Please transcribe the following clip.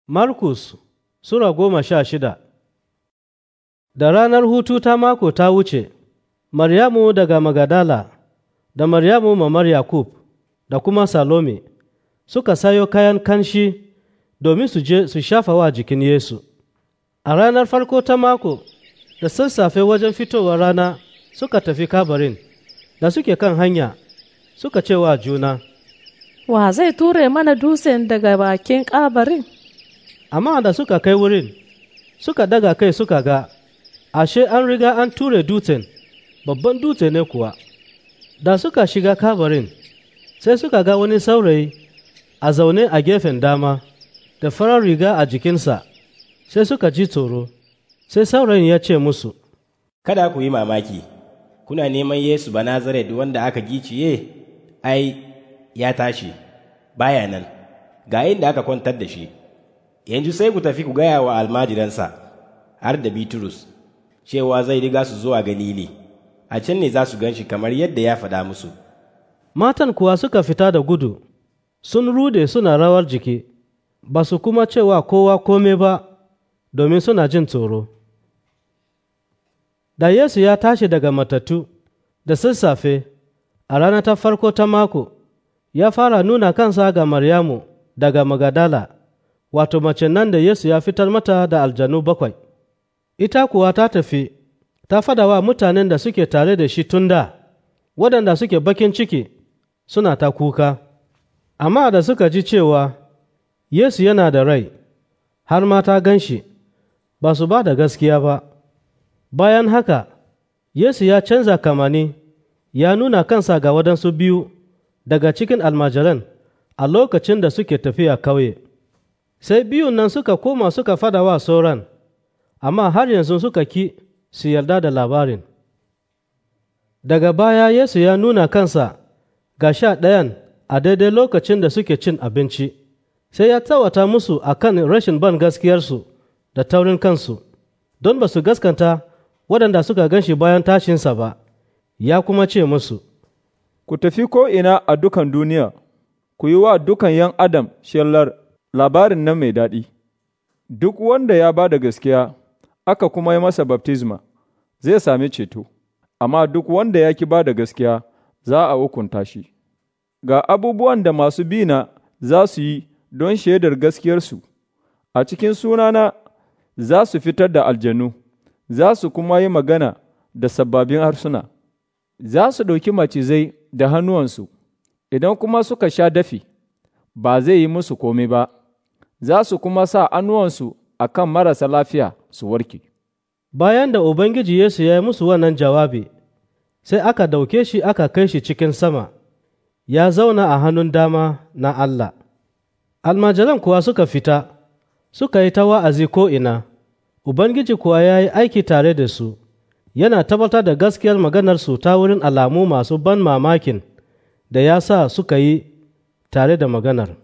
Markus Sura 16. Da ranar hutu ta mako ta wuce, Maryamu daga Magadala da Maryamu mamar Yakub da kuma Salome suka sayo kayan kanshi domin su je su shafa wa jikin Yesu. A ranar farko ta mako, da sassafe wajen fitowar rana, suka tafi kabarin. Da suke kan hanya, suka ce wa juna, Wa zai ture mana dutsen daga bakin kabarin? Amma da suka kai wurin, suka daga kai suka ga, ashe an riga an ture dutsen, babban dutse ne kuwa. Da suka shiga kabarin, sai suka ga wani saurayi a zaune a gefen dama, da farar riga a jikinsa, sai suka ji tsoro. Sai saurayin ya ce musu, Kada ku yi mamaki, kuna neman Yesu Banazaret wanda aka giciye, ai, ya tashi, baya nan, ga inda aka kwantar da shi. Yanzu sai ku tafi ku gaya wa almajiransa, har da Bitrus, cewa zai riga su zuwa Galili, a can ne za su gan shi kamar yadda ya faɗa musu. Matan kuwa suka fita da gudu, sun rude suna rawar jiki, ba su kuma cewa kowa kome ba, domin suna jin tsoro. Da Yesu ya tashi daga matattu da sassafe a rana ta farko ta mako, ya fara nuna kansa ga Maryamu daga Magadala, wato mace nan da Yesu ya fitar mata da aljanu bakwai. Ita kuwa ta tafi, ta fada wa mutanen da suke tare da shi tun da, waɗanda suke bakin ciki suna ta kuka. Amma da suka ji cewa Yesu yana da rai, har ma ta gan shi, ba su ba da gaskiya ba. Bayan haka, Yesu ya canza kamani, ya nuna kansa ga waɗansu biyu daga cikin almajiran a lokacin da suke tafiya kauye. Sai biyun nan suka koma suka fada wa sauran, amma har yanzu suka ki su yarda da labarin. Daga baya Yesu ya nuna kansa ga 11 a daidai lokacin da suke cin abinci, sai ya tsawata musu a kan rashin ban gaskiyarsu da taurin kansu, don ba su gaskanta waɗanda suka gan shi bayan tashinsa ba, ya kuma ce musu, Ku tafi ko'ina a dukan duniya, ku yi wa dukan ’yan adam shelar labarin nan mai daɗi. Duk wanda ya ba da gaskiya, aka kuma yi masa baftisma, zai sami ceto, amma duk wanda ya ki ba da gaskiya, za a hukunta shi. Ga abubuwan da masu bina za su yi don shaidar gaskiyarsu, a cikin sunana za su fitar da aljanu, za su kuma yi magana da sababbin harsuna, za su ɗauki macizai da hannuwansu, idan kuma suka sha dafi, ba zai yi musu kome ba, za su kuma sa hannuwansu a kan marasa lafiya su warke. Bayan da Ubangiji Yesu ya yi musu wannan jawabi, sai aka dauke shi aka kai shi cikin sama, ya zauna a hannun dama na Allah. Almajiran kuwa suka fita, suka yi ta wa'azi ko'ina, Ubangiji kuwa ya yi aiki tare da su, yana tabbatar da gaskiyar maganarsu ta wurin alamu masu ban mamakin da ya sa suka yi tare da maganar.